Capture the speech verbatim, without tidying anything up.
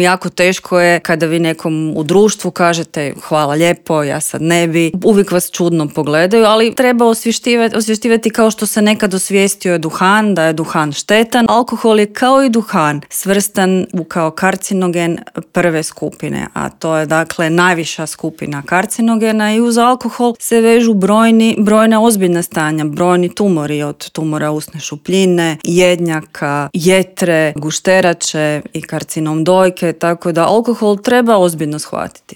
Jako teško je kada vi nekom u društvu kažete hvala lijepo, ja sad ne bi. Uvijek vas čudno pogledaju, ali treba osvještivati, osvještivati kao što se nekad osvijestio je duhan, da je duhan štetan. Alkohol je kao i duhan svrstan u kao karcinogen prve skupine, a to je dakle najviša skupina karcinogena i uz alkohol se vežu brojni, brojna ozbiljna stanja, brojni tumori od tumora usne šupljine, jednjaka, jetre, gušterače i karcinom dojke, tako da alkohol treba ozbiljno shvatiti.